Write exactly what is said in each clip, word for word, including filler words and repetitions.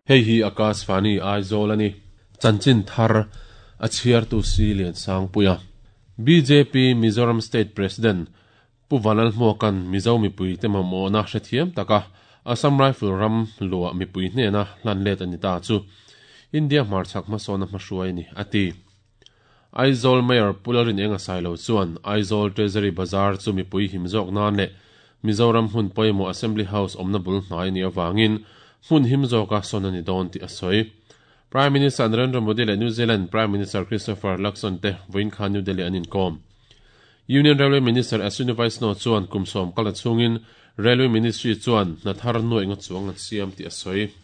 Hei hi Akashvani Aizawl ani. Chanchin thar a chhiar tu si lian sang puia. B J P Mizoram State President Pu Vanlal Hmuakan Mizo mipui te mamawhna hrethiam taka Assam Rifle ram luah mipui hnena hlan let ani ta chu India hmarchhak hmasawna hmahruai ni ati. Aizawl Mayor Pularin enga sailo chuan Aizawl Treasury Bazaar chu mipui himzawk nan le Mizoram hun pawimawh Assembly House awmna bul hnai ni awangin hmun himzawka sawn ani dawn tih a sawi. Prime Minister Narendra Modi le New Zealand Prime Minister Christopher Luxon te vawiin khan New Delhi an inkawm. Union Railway Minister Ashwini Vaishnaw chuan kumsawm kala chungin Railway Ministry chuan hnathar nuai nga chuang an siam tih a sawi.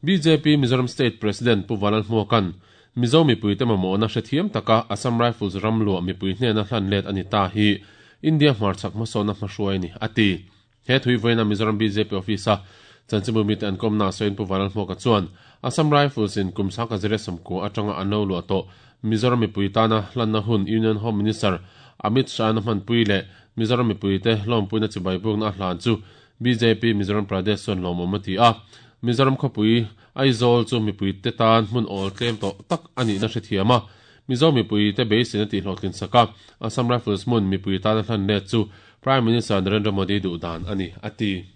B J P Mizoram State President Pu Vanlal Hmuakan Mizo mipui te mamawhna hrethiam taka Assam Rifles ram luah mipui hnena hlan let ani ta hi India hmarchhak hmasawna hmahruai ni ati. He thui vawiina Mizoram B J P office a chanchimbu mite an kawmna sawiin Pu Vanlal Hmuaka chuan Assam Rifles in kum sangka zere sawmkua atanga an lo luah tawh Mizoram mipui tana hlanna hun Union Home Minister Amit Shah na hmanpui le Mizoram mipui te hlawmpuina chibai bukna a hlan chu B J P Mizoram Pradesh chuan lawmawm ati a. Mizoram khawpui Aizawl chu mipui te tan hmun awl tlem tawh tak ani na hrethiam a. Mizo mipui te beisin ati hlawhtlin saka Assam Rifles hmun mipui tana hlan let chu Prime Minister Narendra Modi duh dan ani ati.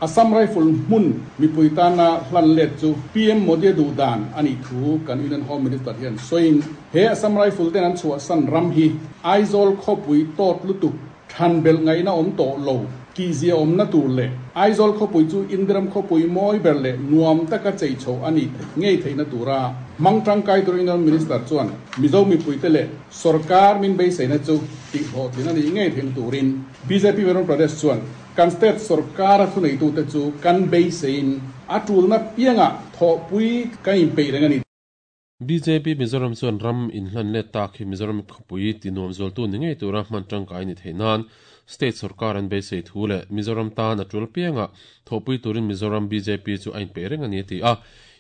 Assam Rifle hmun mipui tana hlan let chu P M Modi duh dan ani thu kan Union Home Minister hian soin he Assam Rifle ten an chhuah san ram hi Aizawl khawpui tawt lutuk than bel ngaina awm tawh lo ti zia awm na tur le Aizawl khawpui chu Indiram khawpui mawi ber le nuam taka chei chho ani ngei theihna tura mang tangkai tur Union Minister chuan Mizo mipui te le sarkar min beiseina chu ti hlawhtlin ani ngei theihna turin B J P Mizoram Pradesh chuan kan state sarkar a thunei tu te chu kan beisein a tulna pianga thawhpui kan inpeih reng ani. B J P Mizoram chuan ram inhlan let tak hi Mizoram khawpui ti nuam zual tu ni ngei tura hman tangkai ni theih nan state sarkar an beisei thu le Mizoram tan a tul pianga thawhpui turin Mizoram B J P chu a inpeih reng ani ti a.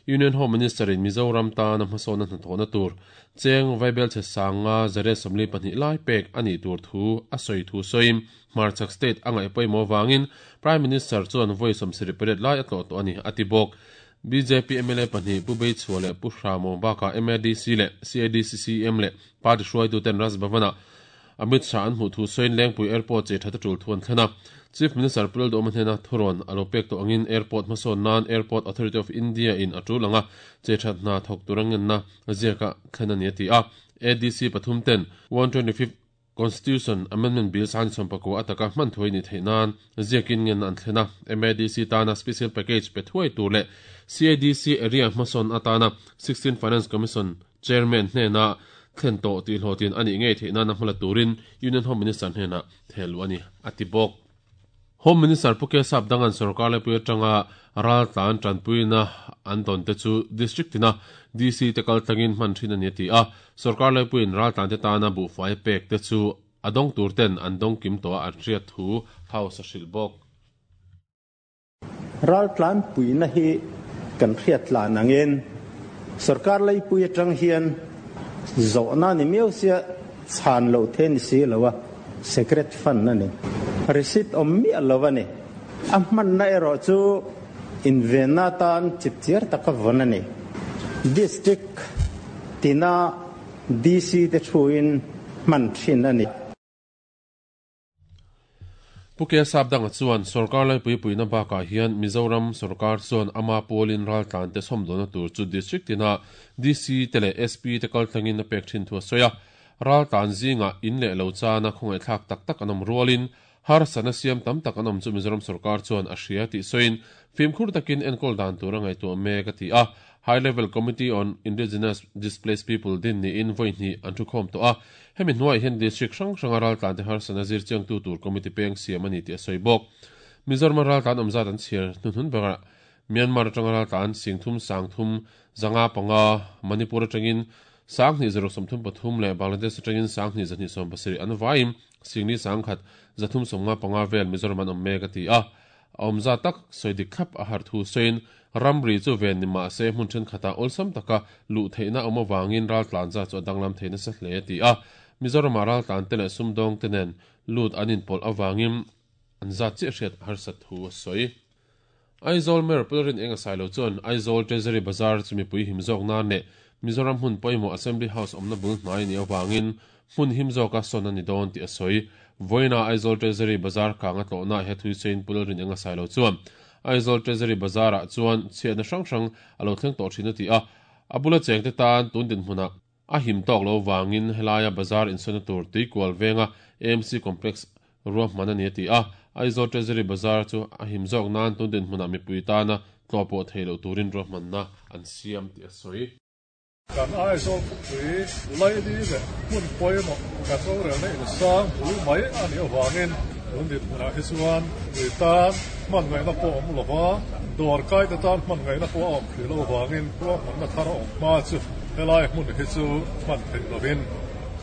Union Home Minister in Mizoram tan a hmasawna hnathawhna tur cheng vaibel che sanga zare sawmli pahnih lai pek ani tur thu a sawi thu sawiin hmarchhak state a ngaih pawimawh wangin Prime Minister chuan vawi sawmsarih pariat lai a tlawh tawh ani ati bawk. B J P M L A pahnih Pu Beichhua le Pu Hramo baka M A D C le C A D C C M le party hruaitu ten Raj Bhavana Amit Shah an hmuh thu sawiin Lengpui Airport che thata tul thu an thlena. Chief Minister Pulal Dawma hnena thuron alo pek tawh angin airport hmasawn nan Airport Authority of India in a tul anga che that hna thawk turangen na ziaka thlen ani ati a. A D C pathum ten one twenty-fifth Constitution Amendment Bill san sawmpakua ataka hman thuai ni theih nan ziakin ngen an thlena. M A D C tana special package pe thuai tur le C A D C area hmasawn atana sixteen Finance Commission Chairman hnena thlen tawh tih hlawhtin ani ngei theih nan a hmala turin Union Home Minister hnena thelu ani ati bawk. Home Minister Pu Kesap dangan sarkar lepui atanga ral tlan tanpuina an dawn te chu district tina D C te kal tlangin hman thin ani ti a. Sarkar lepuiin ral tlan te tana buhfai pek te chu adong tur ten an dong kim to an hriat thu house a hrilh bawk. Ral tlan puina hi kan hriat tlan angin sarkar leipui atang hian zawhna ni miau sia chhan lo the ni si lowa secret fund ani receipt awm miah lo ani a hmanna erawh chu invenna tan chipchiar taka vawn ani district tina D C te thuin hman thin ani. Pu Kesap danga chuan sarkar leipui puina bakah hian Mizoram sarkar chuan ama pawlin ral tlan te sawmdawna tur chu district tina D C te leh S P te kal tlangin a pek thin thu a sawi a. Ral tlan zinga in leh lo chana khawngaih thlak tak tak an awm rualin har sana siam tam tak an awm chu Mizoram sarkar chuan a hria tih sawiin fimkhur takin enkawl dan tur a ngaihtuah mek a ti a. High Level Committee on Indigenous Displaced People din ni in vawi hnih an thu khawm tawh a. Hemi hnuai hian district hrang hranga ral tlan te har sana zir chiang tu tur committee peng siam ani tih a sawi bawk. Mizoram ral tlan awm zat an chhiar hnuhnun berah Myanmar atanga ral tlan singthum sangthum zanga panga Manipur atangin sanghnih zaruk sawmthum pathum le Bangladesh atangin sanghnih zahnih sawm pasarih an vaim singni sangkhat zathum sawmnga panga vel Mizoram an awm mek a ti a. Awmza tak sawi dik thlap a har thu sawiin ramri chu ven ni mah se hmun thenkhatah awlsam taka luh theihna awm awangin ral tlan za chu a danglam theihna sa hle ti a. Mizoram ral tlan te leh sumdawng te nen lut an inpawlh awangin an zat chiah hriat harsat thu a sawi. Aizawl Mayor Pulrin Enga Sailo chuan Aizawl Treasury Bazar chu mipui him zawk nan leh Mizoram hmun pawimawh Assembly House awmna bul hnai ni awangin hmun him zawka sawn ani dawn tih a sawi. Vawiina Aizawl Treasury Bazar kanga tlawhna he thui sein Pulrin Enga Sailo chuan Aizawl Treasury Bazar ah chuan chhiatna hrang hrang a lo thleng tawh thin a ti a. A bula cheng te tan tun din hmunah a him tawk lo wangin helaya bazar insawna tur tuikual venga A M C Complex ruahman ani a ti a. Aizawl Treasury Bazar chu a him zawk nan tun din hmunah mipui tana tlawhpawh thei lo turin ruahmanna an siam tih a sawi. Kan Aizawl khawpui laili leh hmun pawimawh kan rorelna insang bul mai ani awangin tun din hmunah hi chuan mipui tan hman ngaihna pawh awm lova dawr kai te tan hman ngaihna pawh a awm hrih lo awangin ruahmanna thar a awm hma chu helai hmun hi chu hman theih lovin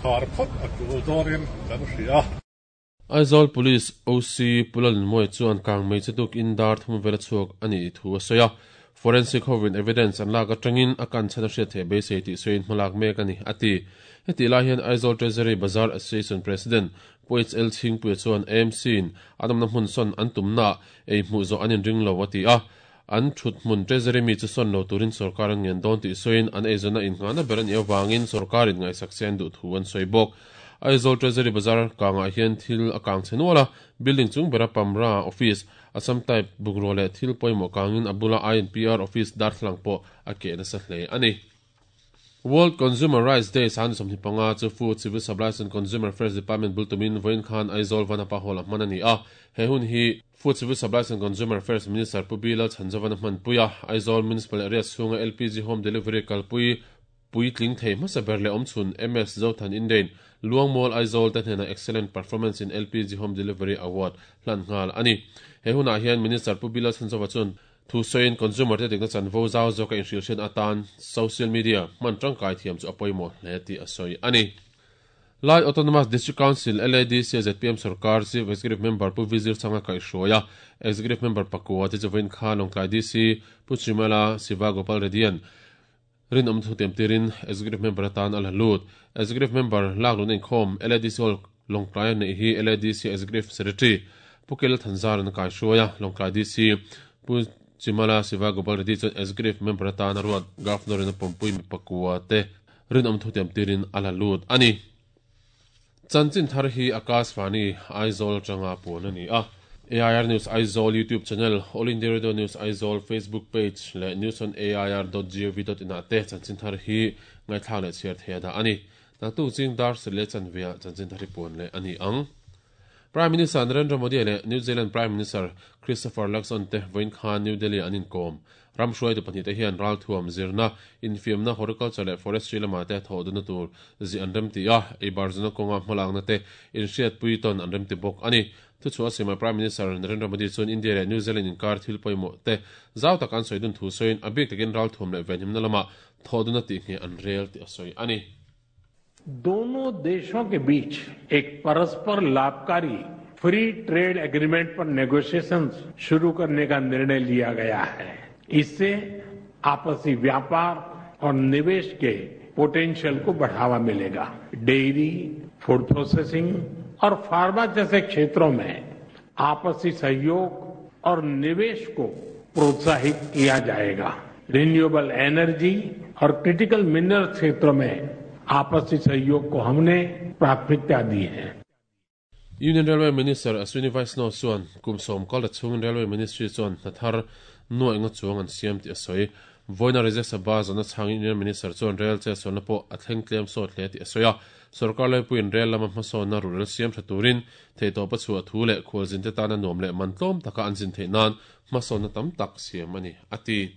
khar phawt a tul dawnin kan hria. Aizawl Police O C Pulalin Moi chuan kang mei chu tuk in dar thum vela chhuak ani thu a sawi a. Forensic hovin evidence an lak atangin a kan chhan a hriat theih beisei tih sawiin hmalak mek ani a ti. Heti lai hian Aizawl Treasury Bazar Association President Pu H L Chhingpuia chuan A M C in a awmna hmun sawn an tumna ei hmuh zawh an inring lo a ti a. An thut hmun Treasury mi chu sawn lo turin sarkar an ngen dawn tih sawiin an eizawnna innghahna ber ani awangin sarkarin ngaihsak se an duh thu an sawi bawk. Aizawl Treasury Bazar kangah hian thil a kang chenuala building chung bera Pamra office Assam type bungraw leh thil pawimawh kangin a bula I N P R office darthlang pawh a ke nasa hle ani. World Consumer Rights Day san sawmhnih panga chu Food Civil Supplies and Consumer Affairs Department bultumin vawiin khan Aizawl Vanapa Hall a hman ani a. He hun hi Food Civil Supplies and Consumer Affairs Minister Pu B Lal Chhanzovan a hmanpui a. Aizawl Municipal Area chhunga L P G Home Delivery kalpui puitling thei hmasa ber leh awmchhun M S Zothan Indain Luangmall Aizawl te hnena Excellent Performance in L P G Home Delivery Award hlan nghal ani. He hunah hian Minister Pu B Lal Chhanzova chuan thu sawiin consumer te dikna chanvo zau zawka inhrilhriat atan social media hman tangkai thiam chu a pawimawh hle tih a sawi ani. Lai Autonomous District Council L A D C Z P M Sarkar Chief Executive Member Pu Vizir Changa kaihhruaia Executive Member pakua te chu vawiin khan Lawngtlai D C Pu Chimala Siva Gopal Reddy-an rin awm thu tiam tirin Executive Member atan a la lut. Executive Member lak lun inkhawm L A D C Hall Lawngtlai an neih hi L A D C Executive Secretary Pu Kel Thanzar an kaihhruaia Lawngtlai D C Pu Chimala Siva Gopal Reddy chuan Executive Member atan a ruat Governor in a pawmpui mi pakua te rin awm thu tiam tirin a la lut ani. Chanchin thar hi Akashvani Aizawl tanga puan ani a. A I R News Aizawl YouTube channel, All India Radio News Aizawl Facebook page leh news on A I R dot gov dot in ah te chanchin thar hi ngaithla leh chhiar thei da ani. Naktuk ching dar sele chanvia chanchin thar hi puan leh ani ang. Prime Minister Narendra Modi leh New Zealand Prime Minister Christopher Luxon te vawiin khan New Delhi an inkom. Ram hruai tu pahnih te hian ral thuam zirna infiamna horticulture leh forestry lama te thawh tur zi an rem ti a. Ei barzuna kawnga hmalakna te inhriat pui tawn an rem ti bawk ani. Thu chu a sima Prime Minister Narendra Modi chuan India leh New Zealand inkar thil pawimawh te zau tak an sawi dun thu sawiin a bik takin ral thuam leh venhimna lama thawh duna tih nge an rel tih a sawi ani. दोनों देशों के बीच एक परस्पर लाभकारी free trade agreement पर नेगोशिएशंस शुरू करने का निर्णय लिया गया है। इससे आपसी व्यापार और निवेश के पोटेंशियल को बढ़ावा मिलेगा। Dairy, food processing और फार्मा जैसे क्षेत्रों में आपसी सहयोग और निवेश को प्रोत्साहित किया जाएगा। रिन्यूएबल एनर्जी और क्रिटिकल मिनरल क्षेत्रों में आपसी सहयोग को हमने प्राथमिकता दी है। Union Railway Minister Ashwini Vaishnaw chuan kumsawm kal chungin Railway Ministry chuan hnathar nuai nga chuang an siam tih a sawi. Vawiina Rajya Sabha zana chhangin Union Minister chuan rail che sawnna pawh a thleng tlem sawt hle tih a sawi a. Sarkar laipuiin rail lama hmasawnna rural siam tha turin theihtawpa chhuah thu leh khualzin te tana nuam leh man tlawm taka an zin theih nan hmasawnna tam tak siam ani a ti.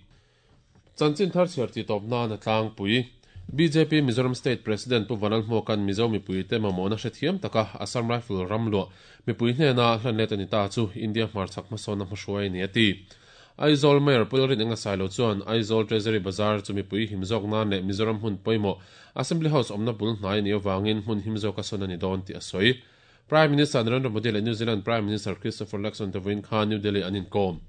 Chanchin thar chhiar ti tawp nan a tlangpui. B J P Mizoram State President Pu Vanal Hmuakan Mizo mipui te mamawhna hrethiam taka Assam Rifle ramluah mipui hnena hlan let ani ta chu India hmarchhak hmasawnna hmahruai ni a ti. Aizawl Mayor Pu Lalrin Enga Sailo chuan Aizawl Treasury Bazar chu mipui him zawk nan leh Mizoram hmun pawimawh Assembly House awmna bul hnai ni awangin hmun him zawka sawn ani dawn tih a sawi. Prime Minister Narendra Modi leh New Zealand Prime Minister Christopher Luxon te vawiin khan New Delhi an inkom.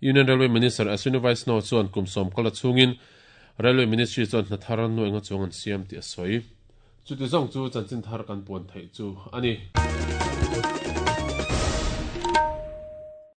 Union Railway Minister Ashwini Vaishnaw chuan kumsawm kal a chungin Railway Ministry chuan hnathar an nuai nga chuang an siam tih a sawi. Chuti zawng chu chanchin thar kan puan theih chu ani.